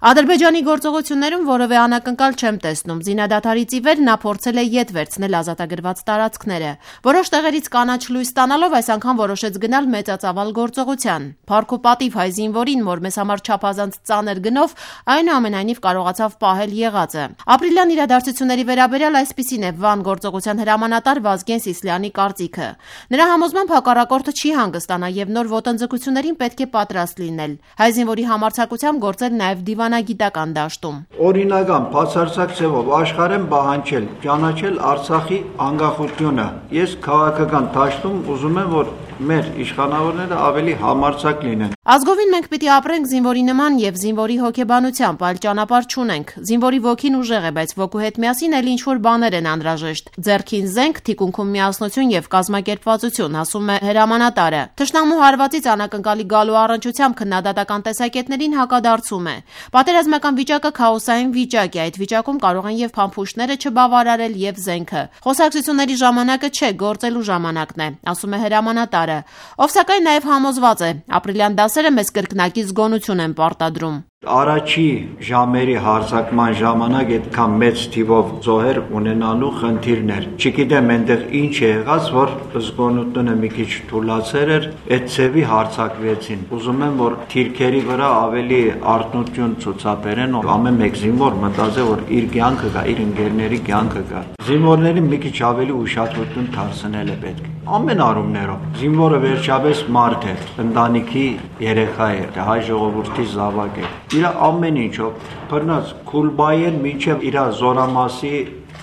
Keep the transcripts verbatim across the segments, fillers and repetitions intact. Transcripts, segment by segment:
Ադրբեջանի գործողություններում որևէ անակնկալ չեմ տեսնում։ Զինադադարից ի վեր նա փորձել է ետ վերցնել ազատագրված տարածքները։ Որոշ տեղերից կանաչ լույս ստանալով այս անգամ որոշեց գնալ մեծածավալ գործողության։ Փառք ու պատիվ հայ զինվորին, որ մեզ համար չափազանց ծանր գնով այնուամենայնիվ կարողացավ պահել եղածը։ Ապրիլյան իրադարձությունների վերաբերյալ այսպիսին է Վան գործողության հրամանատար Վազգեն Սիսլյանի կարծիքը։ Նրա համոզմամբ հակառակորդը չի հանգստանա եւ նոր ոտնձգություններին պետք է պատրաստ լինել։ Հայ զինվորի համարձակությամբ գործել նաեւ դիվանագիտական դաշտում։ Օրինական բացարձակ ձևով աշխարհ եմ պահանջել, ճանաչել Արցախի անկախությունը։ Ես քաղաքական դաշտում ուզում եմ, որ մեր իշխանավորները ավելի համարձակ լինեն։ Ազգովին մենք պիտի ապրենք զինվորի նման եւ զինվորի հոգեբանությամբ, այլ ճանապարհ չունենք։ Զինվորի ոգին ուժեղ է, բայց ոգու հետ միասին էլ ինչ-որ բաներ են անհրաժեշտ։ Ձեռքին զենք, թիկունքում միասնություն եւ կազմակերպվածություն, ասում է հրամանատարը։ Թշնամու հարվածից անակնկալի գալու առնչությամբ քննադատական տեսակետներին հակադարձում է։ Պատերազմական վիճակը քաոսային վիճակ է, այդ վիճակում կարող են եւ փամփուշտները չբավարարել եւ զենքը։ Խոսակցությունների ժամանակը չէ, գործելու ժամանակն է, ասում է հրամանատարը, ով սակայն նաեւ համոզված է, ապրիլյան դասերը մեզ կրկնակի զգոնություն են պարտադրում։ Առաջի ժամերի հարձակման ժամանակ այդքան մեծ թիվով զոհեր ունենալու խնդիրներ։ Չգիտեմ այնտեղ ինչ է եղած, որ զգոնությունը մի քիչ թուլացել էր, այդ ցևի հարձակվեցին։ Ուզում եմ, որ թիրքերի վրա ավելի արտնություն ցուցաբերեն, ամեն մեկ զինվոր մտածե, որ իր կյանքը կա, իր ընկերների կյանքը կա։ Զինվորներին մի քիչ ավելի ուշադրություն դարձնել է պետք։ Ամեն առումներով զինվորը վերջապես մարդ է, ընտանիքի երեխա է, հայ ժողովրդի զավակ է։ Իր ամեն ինչով բռնած Քուլբայեն մինչև իր զորամասի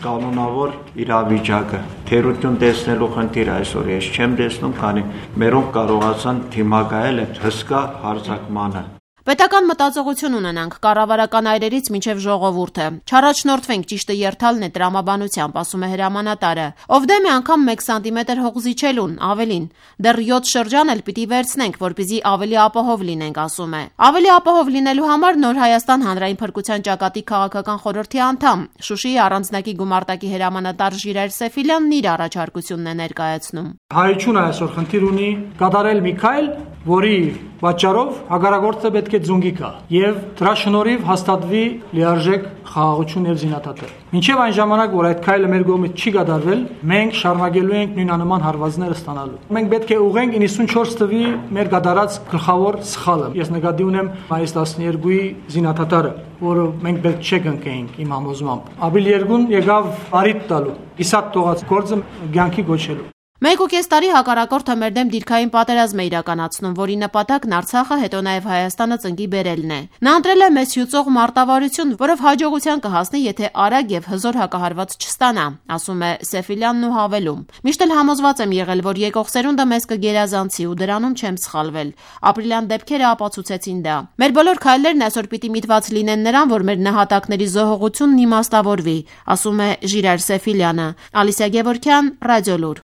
կանոնավոր իրավիճակը թերություն տեսնելու խնդիր այսօր ես չեմ տեսնում, քանի մերոնք կարողացան դիմակայել այդ հսկա հարձակմանը։ Պետական մտածողություն ունենանք կառավարական այրերից մինչև ժողովուրդը։ Չառաջնորդվենք, ճիշտը երթալն է տրամաբանությամբ, ասում է հրամանատարը։ Ով դեմ է անգամ մեկ սանտիմետր հող զիջելուն, ավելին։ Դեռ յոթ շրջան էլ պիտի վերցնենք, որպեսզի ավելի ապահով լինենք, ասում է։ Ավելի ապահով լինելու համար Նոր Հայաստան հանրային փրկության ճակատի քաղաքական խորհրդի անդամ, Շուշիի առանձնակի գումարտակի հրամանատար Ժիրայր Սեֆիլյանն իր առաջարկությունն է ներկայացնում։ Հայությունը այսօր խնդիր ունի կատարել մի քայլ, որի պատճառով հակառակորդը պետք է ձունգի գա եւ դրա շնորհիվ հաստատվի լիարժեք խաղաղություն եւ զինադադար։ Մինչեւ այն ժամանակ, որ այդ քայլը մեր կողմից չի կատարվել, մենք շարունակելու ենք նույնանման հարվածները ստանալու։ Մենք պետք է ուղենք իննսունչորս թվի մեր կատարած գլխավոր սխալը։ Ես նկատի ունեմ մայիս տասներկուի զինադադարը, որը մենք պետք չէ կնկեինք իմ համոզմամբ։ Ապրիլ երկուն եկավ արիտ տալու, իսատ տողած գործը կյանքի գոչելու։ Մեկ ու կես տարի հակառակորդը մեր դեմ դիրքային պատերազմ է իրականացնում, որի նպատակն Արցախը, հետո նաև Հայաստանը ծնկի բերելն է։ Նա ընտրել է մեզ հյուծող մարտավարություն, որով հաջողության կհասնի, եթե արագ եւ հզոր հակահարված չստանա, ասում է Սեֆիլյանն ու հավելում։ Միշտ էլ համոզված եմ եղել, որ եկող սերունդը մեզ կգերազանցի ու դրանում չեմ սխալվել։ Ապրիլյան դեպքերը ապացուցեցին դա։ Մեր բոլոր քայլերն այսօր պիտի միտված լինեն նրան, որ մեր նահատակների զոհողությունն իմաստավորվի, ասում է Ժիրայր Սեֆիլյանը։ Ալիսիա Գևորգյան, Ռադիոլուր։